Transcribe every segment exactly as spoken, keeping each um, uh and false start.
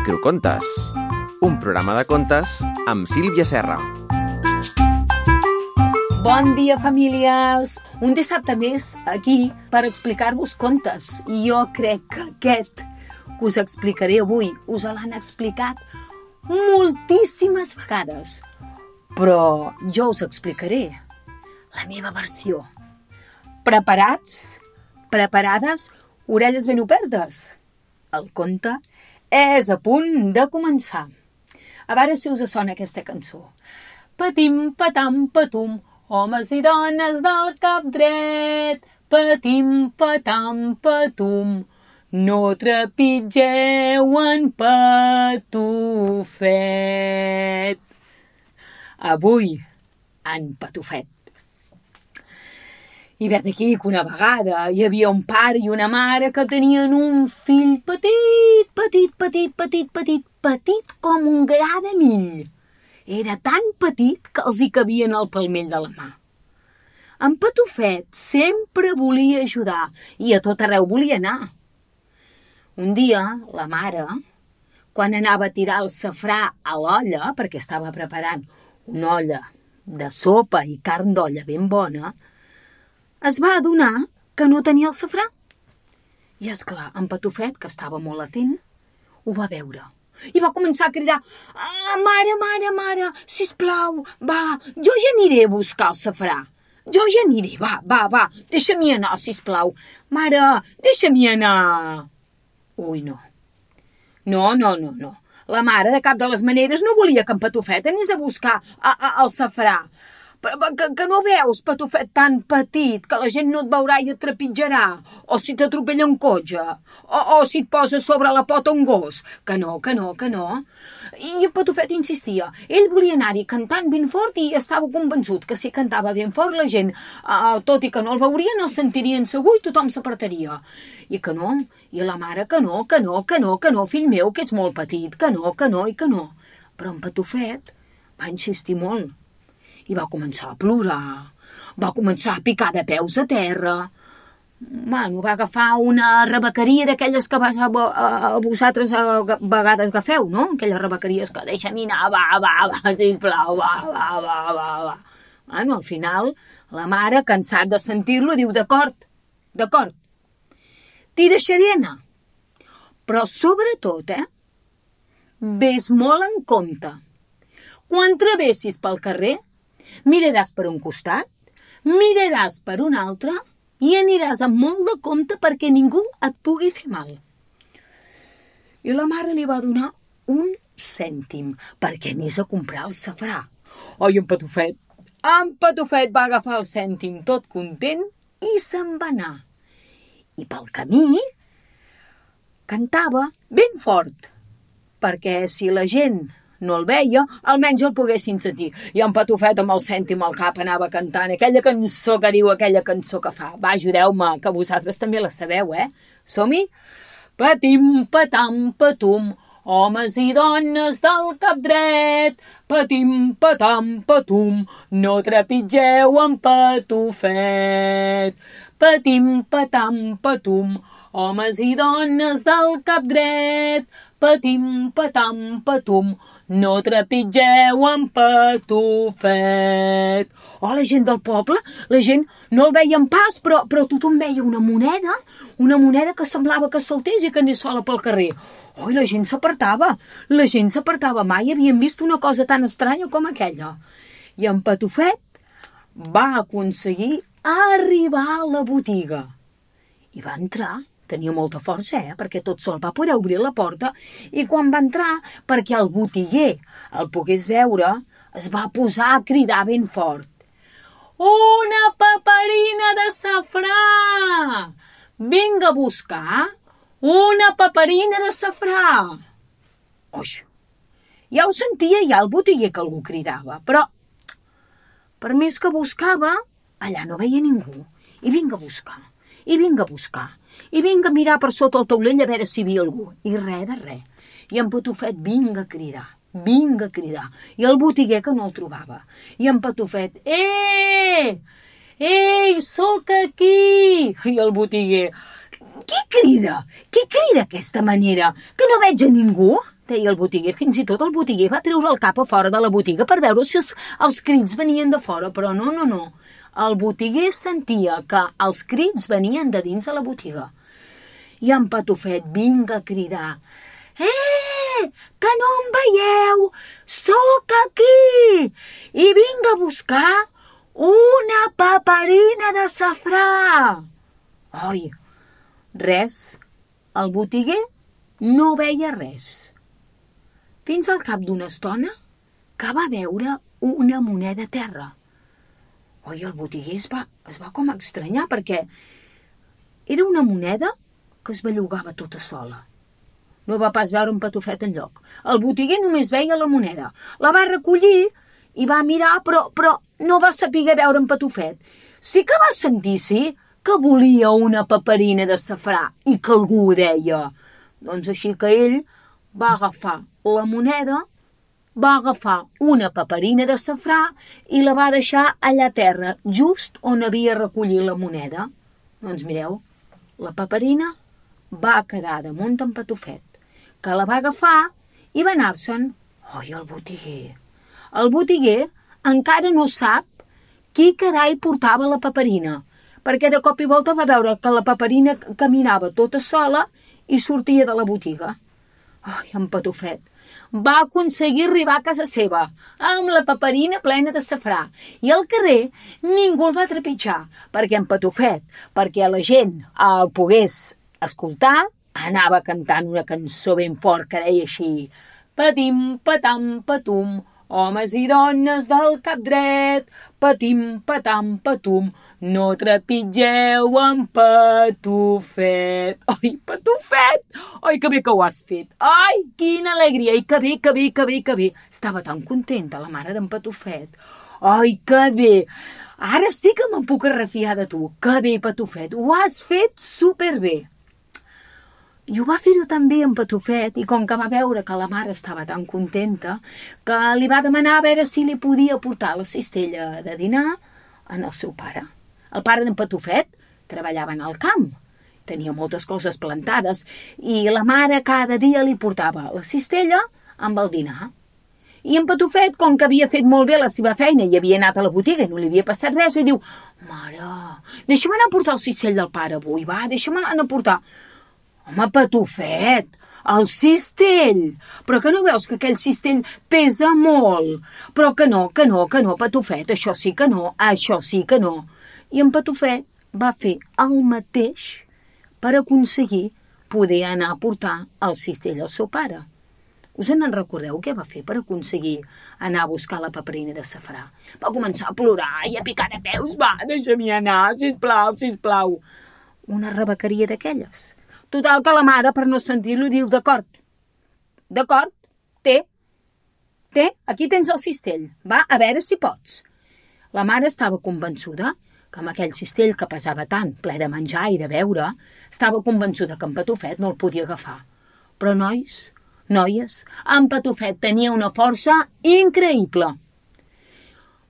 Microcontes, un programa de contes amb Sílvia Serra. Bon dia, famílies! Un dissabte més aquí per explicar-vos contes. I jo crec que aquest que us explicaré avui us l'han explicat moltíssimes vegades. Però jo us explicaré la meva versió. Preparats? Preparades? Orelles ben obertes? El conte és a punt de començar. A veure si us sona aquesta cançó. Patim, patam, patum, homes i dones del cap dret. Patim, patam, patum, no trepitgeu en Patufet. Avui, en Patufet. I vet aquí que una vegada hi havia un pare i una mare que tenien un fill petit, petit, petit, petit, petit, petit com un gra de mill. Era tan petit que els hi cabien al palmell de la mà. En Patufet sempre volia ajudar i a tot arreu volia anar. Un dia, la mare, quan anava a tirar el safrà a l'olla, perquè estava preparant una olla de sopa i carn d'olla ben bona, es va adonar que no tenia el safrà. I, esclar, en Patufet, que estava molt atent, ho va veure. I va començar a cridar: ah, mare, mare, mare, sisplau, va, jo ja aniré a buscar el safrà. Jo ja aniré, va, va, va, deixa-m'hi anar, sisplau. Mare, deixa-m'hi anar. Ui, no. No, no, no, no. La mare, de cap de les maneres, no volia que en Patufet anés a buscar a, a, el safrà. Que, que no veus, Patufet, tan petit, que la gent no et veurà i et trepitjarà, o si t'atropella un cotxe, o, o si et posa sobre la pota un gos. Que no, que no, que no. I en Patufet insistia. Ell volia anar-hi cantant ben fort i estava convençut que si cantava ben fort la gent, uh, tot i que no el veurien, el sentirien segur i tothom s'apartaria. I que no, i la mare que no, que no, que no, que no, fill meu, que ets molt petit, que no, que no i que no. Però en Patufet va insistir molt. I va començar a plorar, va començar a picar de peus a terra. Bueno, va agafar una rebequeria d'aquelles que vas a, a, a vosaltres a, a vegades agafeu, no? Aquelles rebequeries que deixa'm anar, va, va, va, sisplau, va, va, va, va, va. Bueno, al final, la mare, cansat de sentir-lo, diu: d'acord, d'acord, t'hi deixaré anar. Però sobretot, eh, ves molt en compte. Quan travessis pel carrer, miraràs per un costat, miraràs per un altre i aniràs amb molt de compte perquè ningú et pugui fer mal. I la mare li va donar un cèntim perquè anés a comprar el safrà. Oi, en Patufet, en Patufet va agafar el cèntim tot content i se'n va anar. I pel camí cantava ben fort, perquè si la gent no el veia, almenys el poguessin sentir. I en Patufet amb el cèntim al cap anava cantant aquella cançó que diu, aquella cançó que fa. Va, ajudeu-me, que vosaltres també la sabeu, eh? Som-hi? Patim, patam, patum, homes i dones del cap dret. Patim, patam, patum, no trepitgeu en Patufet. Patim, patam, patum, homes i dones del cap dret. Patim, patam, patum, no trepitgeu en Patufet. Oh, la gent del poble, la gent no el veia en pas, però, però tothom veia una moneda, una moneda que semblava que saltés i que anés sola pel carrer. Oh, i la gent s'apartava, la gent s'apartava. Mai havien vist una cosa tan estranya com aquella. I en Patufet va aconseguir arribar a la botiga. I va entrar. Tenia molta força, eh? Perquè tot sol va poder obrir la porta i quan va entrar, perquè el botiguer el pogués veure, es va posar a cridar ben fort. Una paperina de safrà! Vinga a buscar una paperina de safrà! Oix! Ja ho sentia ja el botiguer que algú cridava, però per més que buscava, allà no veia ningú. I vinga a buscar, i vinga a buscar. I vinga a mirar per sota el taulell a veure si hi havia algú. I res de res. I en Patufet vinga a cridar, vinga a cridar. I el botiguer que no el trobava. I en Patufet, eh, ei, sóc aquí. I el botiguer, qui crida? Qui crida d'aquesta manera? Que no veig a ningú? deia el botiguer. Fins i tot el botiguer va treure el cap a fora de la botiga per veure si els, els crits venien de fora, però no, no, no. El botiguer sentia que els crits venien de dins de la botiga. I en Patufet vinga a cridar: «Eh, que no em veieu? Sóc aquí! I vinc a buscar una paperina de safrà!» Oi, res. El botiguer no veia res. Fins al cap d'una estona que va veure una moneda a terra. Oi, el botiguer es va, es va com estranyar perquè era una moneda que es bellugava tota sola. No va pas veure un Patufet enlloc. El botiguer només veia la moneda. La va recollir i va mirar, però, però no va saber veure un Patufet. Sí que va sentir, sí, que volia una paperina de safrà i que algú ho deia. Doncs així que ell va agafar la moneda, va agafar una paperina de safrà i la va deixar allà a terra, just on havia recollit la moneda. Doncs mireu, la paperina va quedar damunt en Patufet, que la va agafar i va anar-se'n. Oi, el botiguer. El botiguer encara no sap qui carai portava la paperina, perquè de cop i volta va veure que la paperina caminava tota sola i sortia de la botiga. Ai, en Patufet va aconseguir arribar a casa seva amb la paperina plena de safrà i al carrer ningú el va trepitjar perquè en Patufet, perquè la gent el pogués escoltar, anava cantant una cançó ben fort que deia així: «Patim, patam, patum, homes i dones del cap dret, patim, patam, patum, no trepitgeu en Patufet». Ai, Patufet! Ai, que bé que ho has fet! Ai, quina alegria! Ai, que bé, que bé, que bé, que bé! Estava tan contenta la mare d'en Patufet. Ai, que bé! Ara sí que me'n puc refiar de tu. Que bé, Patufet! Ho has fet superbé! I ho va fer-ho també en Patufet, i com que va veure que la mare estava tan contenta, que li va demanar a veure si li podia portar la cistella de dinar en el seu pare. El pare d'en Patufet treballava en el camp, tenia moltes coses plantades, i la mare cada dia li portava la cistella amb el dinar. I en Patufet, com que havia fet molt bé la seva feina i havia anat a la botiga i no li havia passat res, i diu: «Mare, deixa'm anar a portar el cistell del pare avui, va, deixa'm anar a portar». «Home, Patufet, el cistell! Però que no veus que aquell cistell pesa molt? Però que no, que no, que no, Patufet, això sí que no, això sí que no». I en Patufet va fer el mateix per aconseguir poder anar a portar el cistell al seu pare. Us en recordeu què va fer per aconseguir anar a buscar la paperina de safrà? Va començar a plorar i a picar de peus. «Va, deixa-m'hi anar, sisplau, sisplau». Una rebequeria d'aquelles. Total que la mare, per no sentir-lo, diu: «D'acord, d'acord, té, té, aquí tens el cistell, va, a veure si pots». La mare estava convençuda que amb aquell cistell que pesava tant, ple de menjar i de beure, estava convençuda que en Patufet no el podia agafar. Però nois, noies, en Patufet tenia una força increïble.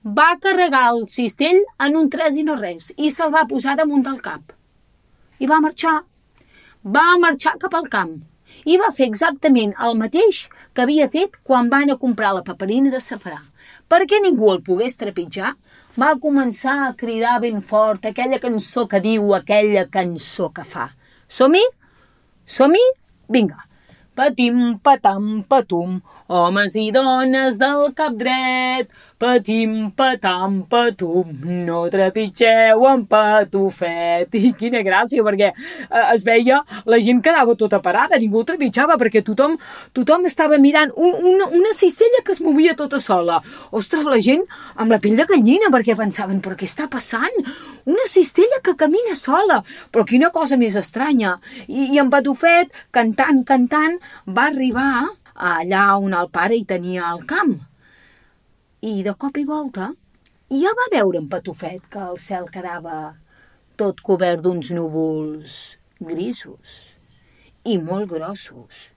Va carregar el cistell en un tres i no res i se'l va posar damunt del cap. I va marxar. Va marxar cap al camp i va fer exactament el mateix que havia fet quan va anar a comprar la paperina de safrà. Perquè ningú el pogués trepitjar, va començar a cridar ben fort aquella cançó que diu, aquella cançó que fa. Som-hi? Som-hi? Vinga. Patim, patam, patum, homes i dones del cap dret, patim, patam, patum, no trepitgeu en Patufet. I quina gràcia, perquè eh, es veia, la gent quedava tota parada, ningú el trepitjava, perquè tothom, tothom estava mirant un, una, una cistella que es movia tota sola. Ostres, la gent amb la pell de gallina, perquè pensaven, però què està passant? Una cistella que camina sola, però quina cosa més estranya. I, i en Patufet, cantant, cantant, va arribar allà on el pare hi tenia el camp. I de cop i volta ja va veure en Patufet que el cel quedava tot cobert d'uns núvols grisos i molt grossos.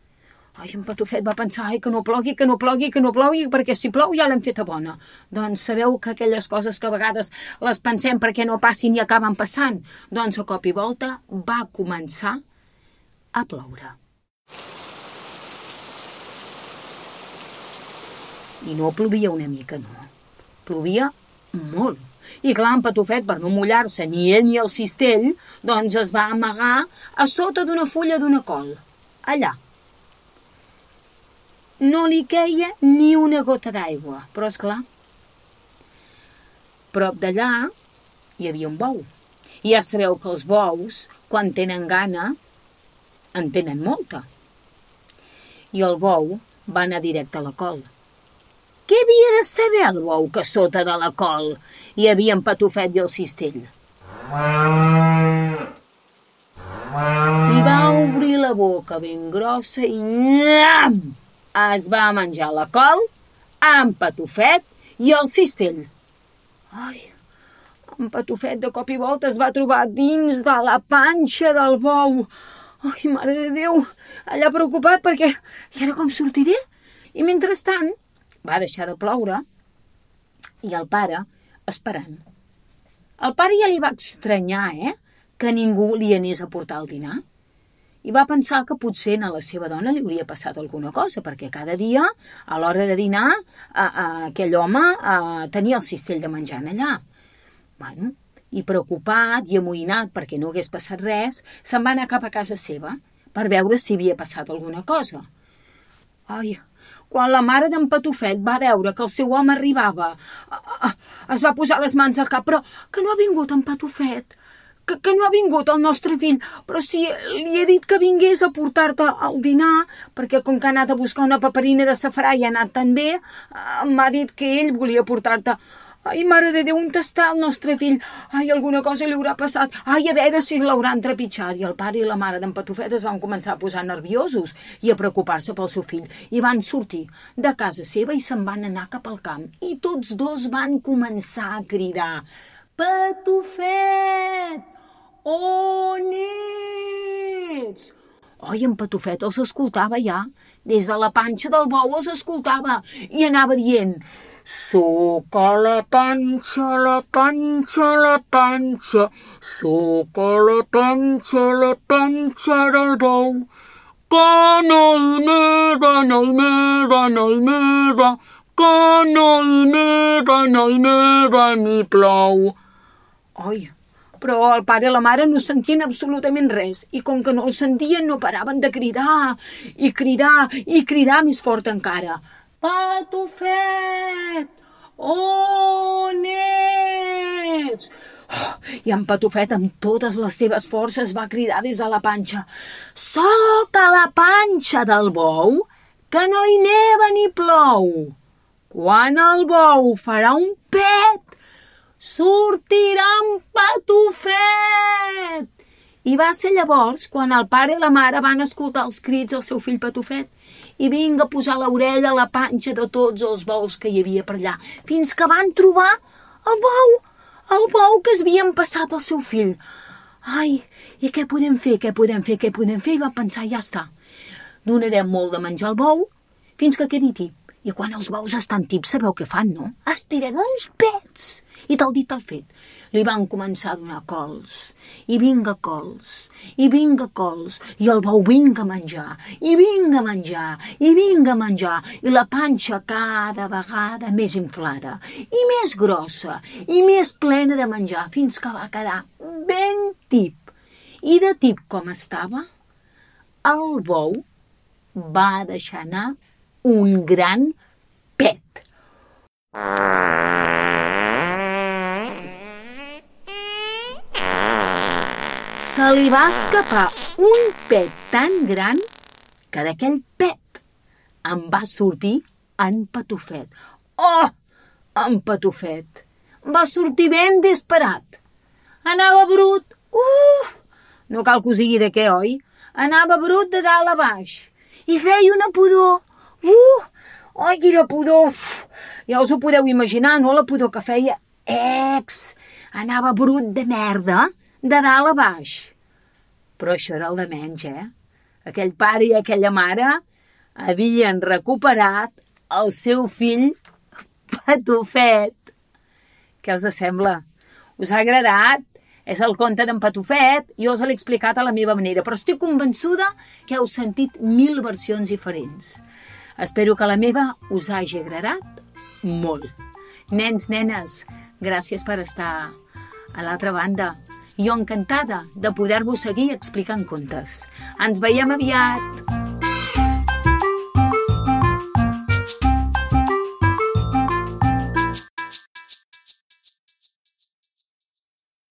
Ai, en Patufet va pensar, ai, que no plogui, que no plogui, que no plogui, perquè si plou ja l'hem feta bona. Doncs sabeu que aquelles coses que a vegades les pensem perquè no passin i acaben passant? Doncs a cop i volta va començar a ploure. I no plovia una mica, no. Plovia molt. I clar, en Patufet, per no mullar-se ni ell ni el cistell, doncs es va amagar a sota d'una fulla d'una col. Allà. No li queia ni una gota d'aigua, però és clar. Prop d'allà hi havia un bou. I ja sabeu que els bous, quan tenen gana, en tenen molta. I el bou va anar directe a la col. Què havia de saber el bou que sota de la col hi havia en Patufet i el cistell? I va obrir la boca ben grossa i nyam! Es va menjar la col amb Patufet i el cistell. Ai, en Patufet de cop i volta es va trobar dins de la panxa del bou. Ai, mare de Déu, allà preocupat perquè i ara com sortiré? I mentrestant va deixar de ploure i el pare esperant. El pare ja li va estranyar, eh, que ningú li anés a portar el dinar. I va pensar que potser a la seva dona li hauria passat alguna cosa, perquè cada dia, a l'hora de dinar, a, a, aquell home a, tenia el cistell de menjar allà. Bueno, i preocupat i amoïnat perquè no hagués passat res, se'n va anar cap a casa seva per veure si havia passat alguna cosa. Ai, quan la mare d'en Patufet va veure que el seu home arribava, es va posar les mans al cap, però que no ha vingut en Patufet, que, que no ha vingut el nostre fill, però si li he dit que vingués a portar-te el dinar, perquè com que ha anat a buscar una paperina de safrà i ha anat tan bé, m'ha dit que ell volia portar-te. Ai, mare de Déu, on està el nostre fill? Ai, alguna cosa li haurà passat. Ai, a veure si l'hauran trepitjat. I el pare i la mare d'en Patufet es van començar a posar nerviosos i a preocupar-se pel seu fill. I van sortir de casa seva i se'n van anar cap al camp. I tots dos van començar a cridar: Patufet, on ets? Oi, en Patufet els escoltava ja. Des de la panxa del bou els escoltava i anava dient: soc a la panxa, la panxa, la panxa, soc a la panxa, la panxa del bou. Que no hi neva, no hi neva, no hi neva, que no hi neva, no hi neva, ni plou. Oi, però el pare i la mare no sentien absolutament res i com que no el sentien no paraven de cridar i cridar i cridar més fort encara. Patufet, on ets? Oh, i en Patufet amb totes les seves forces va cridar des de la panxa: soc a la panxa del bou, que no hi neva ni plou. Quan el bou farà un pet, sortirà en Patufet. I va ser llavors quan el pare i la mare van escoltar els crits del seu fill Patufet i vinga a posar l'orella a la panxa de tots els bous que hi havia per allà, fins que van trobar el bou, el bou que es havien passat al seu fill. Ai, i què podem fer, què podem fer, què podem fer? I va pensar, ja està, donarem molt de menjar al bou fins que quedi tip. I quan els bous estan tips, sabeu què fan, no? Es tiren uns pets. I tal dit tal fet, li van començar a donar cols, i vinga cols, i vinga cols, i el bou vinga a menjar, i vinga a menjar, i vinga a menjar, i la panxa cada vegada més inflada, i més grossa, i més plena de menjar, fins que va quedar ben tip. I de tip com estava, el bou va deixar anar un gran pet. Se li va escapar un pet tan gran que d'aquell pet en va sortir en Patufet. Oh, en Patufet! Va sortir ben disparat. Anava brut. Uh, no cal que us digui de què, oi? Anava brut de dalt a baix. I feia una pudor. Uh, oi, quina pudor. Ja us ho podeu imaginar, no? La pudor que feia. Ex! Anava brut de merda. De dalt a baix. Però això era el de menys, eh? Aquell pare i aquella mare havien recuperat el seu fill Patufet. Què us sembla? Us ha agradat? És el conte d'en Patufet, jo us l'he explicat a la meva manera, però estic convençuda que heu sentit mil versions diferents. Espero que la meva us hagi agradat molt. Nens, nenes, gràcies per estar a l'altra banda. Jo encantada de poder-vos seguir explicant contes. Ens veiem aviat!